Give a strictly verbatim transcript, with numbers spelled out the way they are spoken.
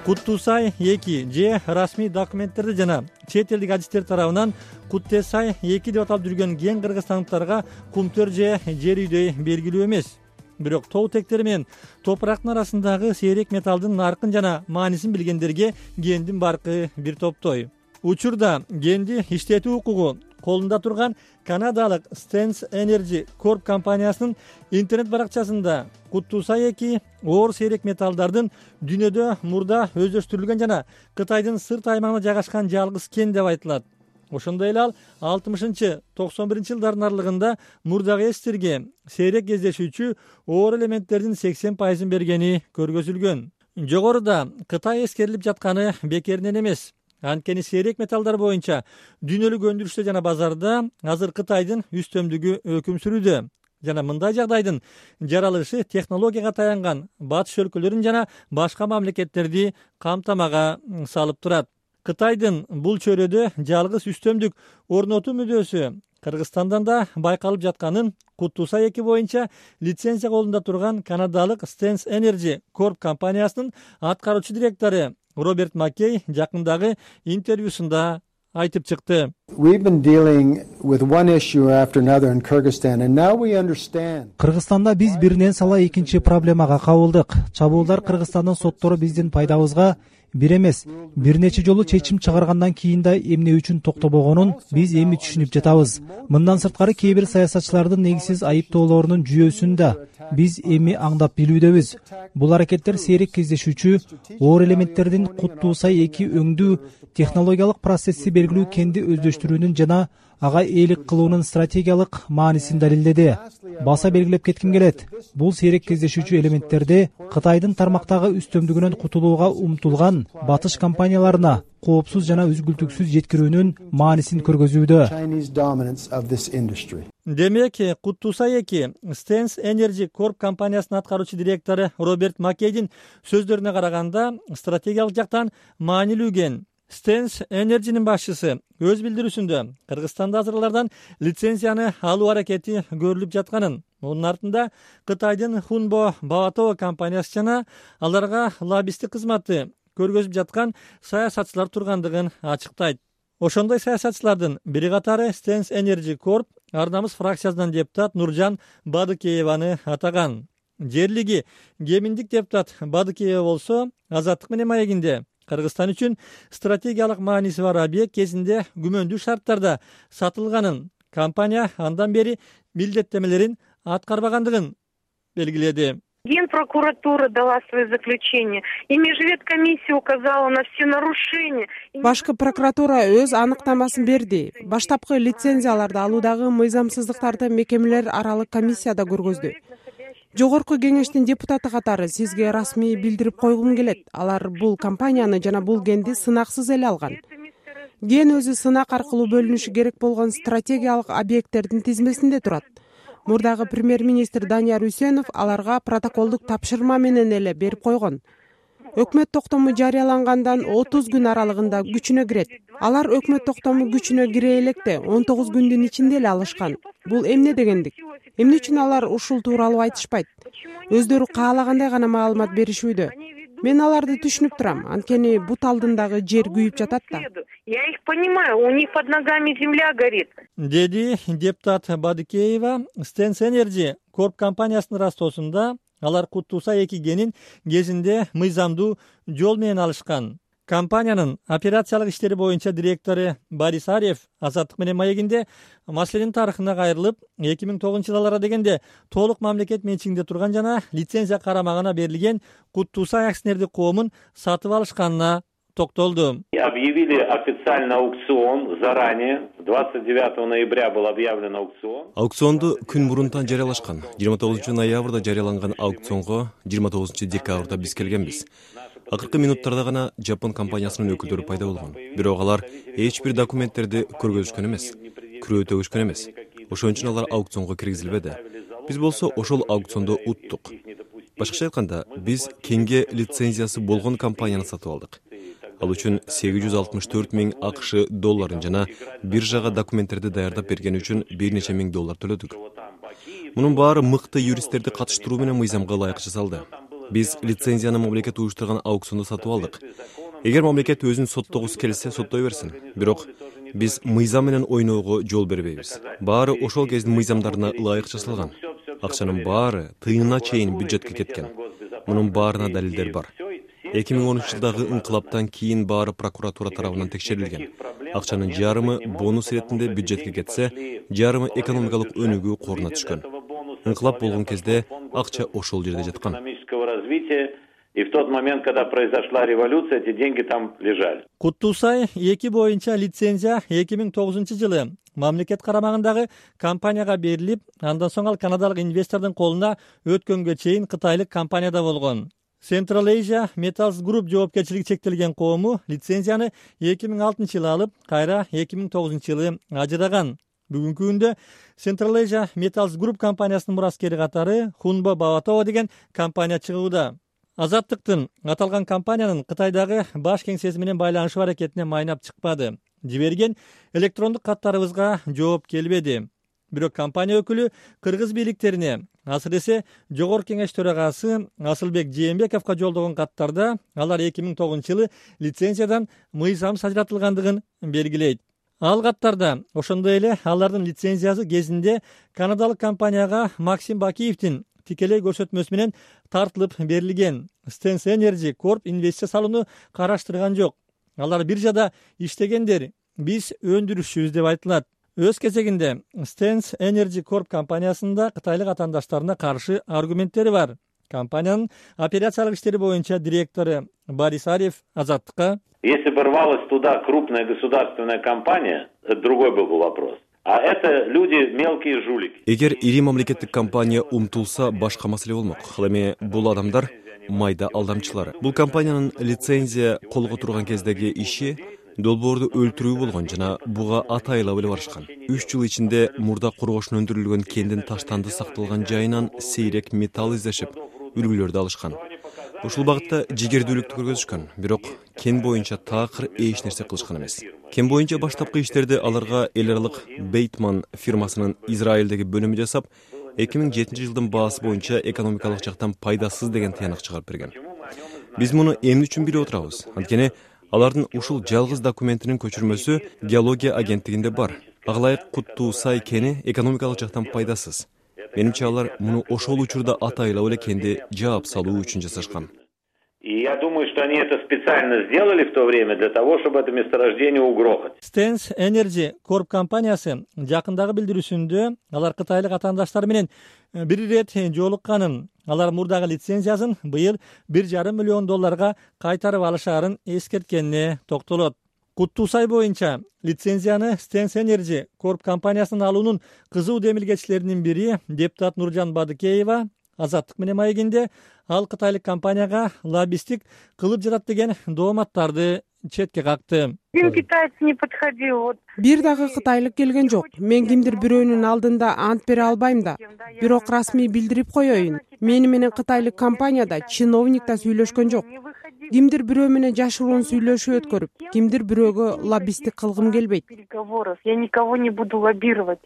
Куттуусай эки же расмий документтерди жана чет элдик адистер тарабынан Куттесай эки деп аталып жүргөн ген кыргызстандыктарга кумтөр же жер үйдөй белгилүү эмес. Бирок тоо тектери менен топурактын арасындагы сейрек металлдын наркын жана маанисин билгендерге гендин баркы бир топтой. Учурда генди иштетүү укугу колунда турган канадалык Stens Energy Corp компаниясынын интернет баракчасында Куттуусай эки оор сейрек металлдардын дүйнөдө мурда өздөштүрүлгөн жана Кытайдын сырт аймагында жайгашкан жалгыз кен деп айтылат. Ошондой эле ал алтымышынчы токсон биринчи жылдардын аралыгында мурдагы эстерге сейрек кездешүүчү оор элементтердин сексен пайызын бергени көргөзүлгөн. Жогоруда Кытай эскерилип жатканы бекеринен эмес. Анткени сейрек металлдар боюнча дүйнөлүк өндүрүштө жана базарда азыр Кытайдын үстөмдүгү өкүм сүрүүдө. Жана мындай жагдайдын жаралышы технологияга таянган батыш өлкөлөрүн жана башка мамлекеттерди камтамага салып турат. Кытайдын бул чөйрөдө жалгыз үстөмдүк орнотуу мүдөөсү Кыргызстандан да байкалып жатканын Куттуусай эки боюнча лицензия колунда турган канадалык Stens Energy Corp компаниясынын аткаруучу директору Роберт Маккей жакындагы интервьюсунда айтып чыкты. Кыргызстанда биз биринен сала экинчи проблемага кабылдык. Чабуулдар Кыргызстандын соттору биздин пайдабызга бир эмес, бир нече жолу чечим чыгаргандан кийин да эмне үчүн токтобогонун биз эми түшүнүп жатабыз. Мындан сырткары кээ бир саясатчылардын негизсиз айыптоолорунун жүйөсүн да биз эми аңдап билүүдөбүз. Бул аракеттер сейрек кездешүүчү оор элементтердин Куттуусай эки өңдүү технологиялык процесси белгилүү кенди өздөштүрүүнүн жана ага ээлик кылуунун стратегиялык маанисин далилдеди. Баса белгилеп кетким келет. Бул сейрек кездешүүчү элементтерди Кытайдын тармактагы үстөмдүгүнөн кутулууга умтулган батыш компанияларына коопсуз жана үзгүлтүксүз жеткирүүнүн маанисин көргөзүүдө. Демек, Куттуусай эки Stens Energy Corp компаниясынын аткаруучу директору Роберт Маккейдин сөздөрүнө караганда стратегиялык жактан маанилүү кен. Stens Energy'нин башчысы өз билдирүүсүндө Кыргызстанда азырлардан лицензияны алуу аракети көрүлүп жатканын, мунун артында Кытайдын Хунбо Баватоо компаниясы жана аларга лоббисттик кызматты көргөзүп жаткан саясатчылар тургандыгын ачыктайт. Ошондой саясатчылардын бири катары Stens Energy Corp ар намыс фракциясынан депутат Нуржан Бадыкееваны атаган. Жерлиги Геминдик депутат Бадыкеева болсо Азаттык менен маегинде Кыргызстан үчүн стратегиялык мааниси бар объект кезинде күмөндүү шарттарда сатылганын, компания андан бери милдеттемелерин аткарбагандыгын белгиледи. Генпрокуратура дала свое заключение, и межветкомиссия указала на все нарушения. Башкы прокуратура өз аныктамасын берди. Баштапкы лицензияларды алуудагы мыйзамсыздыктарды мекемелер аралык комиссияда көргөздү. Жогорку кеңештин депутаты катары сизге расмий билдирип койгум келет. Алар бул компанияны жана бул генди сынаксыз эле алган. Ген өзү сынак аркылуу бөлүнүшү керек болгон стратегиялык объекттердин тизмесинде турат. Мурдагы премьер-министр Данияр Үсенов аларга протоколдук тапшырма менен эле берип койгон. Өкмөт токтому жарыялангандан отуз күн аралыгында күчүнө кирет. Алар өкмөт токтому күчүнө кире электе он тогуз күндүн ичинде эле алышкан. Бул эмне дегендик? Эмне үчүн алар ушул тууралуу айтышпайт? Өздөрү каалагандай гана маалымат беришүүдө. Мен аларды түшүнүп турам, анткени бут алдындагы жер күйүп жатат да. Я их понимаю, у них под ногами земля горит. Деди депутат Бадыкеева. Stens Energy Corp компаниясынын растоосунда алар Куттуусай эки генин кезинде мыйзамдуу жол менен алышкан. Компаниянын операциялык иштери боюнча директору Борис Арьев Азаттык менен маегинде маселенин тарыхына кайрылып, эки миң тогузунчу жылдары дегенде толук мамлекет менчигинде турган жана лицензия карамагына берилген Куттуусай акционердик коомун сатып алышканына токтолду. Объявили официально аукцион заранее. двадцать девятого ноября был объявлен аукцион. Аукционду күн мурунтан жарыялашкан. жыйырма тогузунчу ноябрда жарыяланган аукционго жыйырма тогузунчу декабрда биз келгенбиз. Акыркы минуттарда гана Жапон компаниясынын өкүлдөрү пайда болгон. Бирок алар эч бир документтерди көргөзүшкөн эмес, күрөө төгүшкөн эмес. Ошон үчүн алар аукционго киргизилбеди. Биз болсо ошол аукциондо уттук. Башкача айтканда, биз кенге лицензиясы болгон компанияны сатып алдык. Ал үчүн сегиз жүз алтымыш төрт миң акш долларын жана биржага документтерди даярдап берген үчүн бир нече миң доллар төлөдүк. Мунун баары мыкты юристтерди катыштыруу менен мыйзамга ылайык жасалды. Биз лицензияны мамлекет уюштурган аукциондо сатып алдык. Эгер мамлекет өзүн соттогусу келсе, соттой берсин. Бирок биз мыйзам менен ойноого жол бербейбиз. Баары ошол кездин мыйзамдарына ылайык жасалган. Акчанын баары тыйынына чейин бюджетке кеткен. Мунун баарына далилдер бар. эки миң онунчу жылдагы ыңкылаптан кийин баары прокуратура тарабынан текшерилген. Акчанын жарымы бонус иретинде бюджетке кетсе, жарымы экономикалык өнүгүү коруна түшкөн. Ыңкылап болгон кезде акча ошол жерде жаткан. И в тот момент, когда произошла революция, эти деньги там лежали. Куттуусай эки боюнча лицензия эки миң тогузунчу жылы мамлекет карамагындагы компанияга берилип, андан соң ал канадалык инвестордун колуна өткөнгө чейин кытайлык компанияда болгон. Central Asia Metals Group жоопкерчилиги чектелген коому лицензияны эки миң алтынчы жылы алып, кайра эки миң тогузунчу жылы ажыраган. Бүгүнкү күндө Central Asia Metals Group компаниясынын мураскери катары Хунбо Баватова деген компания чыгууда. Азаттыктын аталган компаниянын Кытайдагы баш кеңсеси менен байланышуу аракетине майнап чыкпады. Жиберген электрондук каттарыбызга жооп келбеди. Бирок компания өкүлү кыргыз бийликтерине, асыресе Жогорку Кеңеш төрагасы Асылбек Жээнбековго жолдогон каттарда алар эки миң тогузунчу жылы лицензиядан мыйзамсыз ажыратылгандыгын белгилейт. Ал каттарда ошондой эле алардын лицензиясы кезинде канадалык компанияга Максим Бакиевдин тикелей көрсөтмөсү менен тартылып берилген. Stens Energy Corp инвестиция салууну караштырган жок. Алар биржада иштегендер, биз өндүрүшчүбүз деп айтылат. Өз кезегинде Stens Energy Corp компаниясында кытайлык атаандаштарына каршы аргументтери бар. Компаниянын операциялык иштери боюнча директору Борис Арьев Азаттыкка: Если бы рвалась туда крупная государственная компания, это другой был бы вопрос. А это люди мелкие жулики. Эгер ири мамлекеттик компания умтулса, башка маселе болмок. Ал эми бул адамдар майда алдамчылар. Бул компаниянын лицензия колго турган кездеги иши долбоорду өлтүрүү болгон жана буга атайлап эле барышкан. үч жыл ичинде мурда коргошун өндүрүлгөн кендин таштанды сакталган жайынан сейрек металл издешип, үлгүлөрдү алышкан. Ушул багытта жигердүүлүктү көргөзүшкөн, бирок кен боюнча такыр эч нерсе кылышкан эмес. Кен боюнча баштапкы иштерди аларга эл аралык Бейтман фирмасынын Израилдеги бөлүмү жасап, эки миң жетинчи жылдын баасы боюнча экономикалык жактан пайдасыз деген тыянак чыгарып берген. Биз муну эмне үчүн билип отурабыз? Анткени алардын ушул жалгыз документинин көчүрмөсү геология агенттигинде бар. Ага ылайык Куттуусай кени экономикалык жактан пайдасыз. Менимче алар муну ошол учурда атайлап эле кенди жаап салуу үчүн жасашкан. И я думаю, что они это специально сделали в то время для того, чтобы это месторождение угрохать. Stens Energy Corp компаниясы жакындагы билдирүүсүндө алар кытайлык атаандаштар менен бир ирет жолукканын, алар мурдагы лицензиясын быйыл бир жарым миллион долларга кайтарып алышаарын эскерткенине токтолот. Куттуусай боюнча лицензияны Stens Energy Corp компаниясынын алуунун кызуу демилгечилеринин бири депутат Нуржан Бадыкеева Азаттык менен маегинде ал кытайлык компанияга лоббисттик кылып жатат деген дооматтарды четке какты. Один китаец не подходил. Вот. Бир дагы кытайлык келген жок. Мен кимдир бирөөнүн алдында ант бере албайм да. Бирок расмий билдирип коеюн. Мени менен кытайлык компанияда чиновник да сүйлөшкөн жок. Кимдир бирөө менен жашыруун сүйлөшүү өткөрүп, кимдир бирөөгө лоббисттик кылгым келбейт. Я никого не буду лоббировать.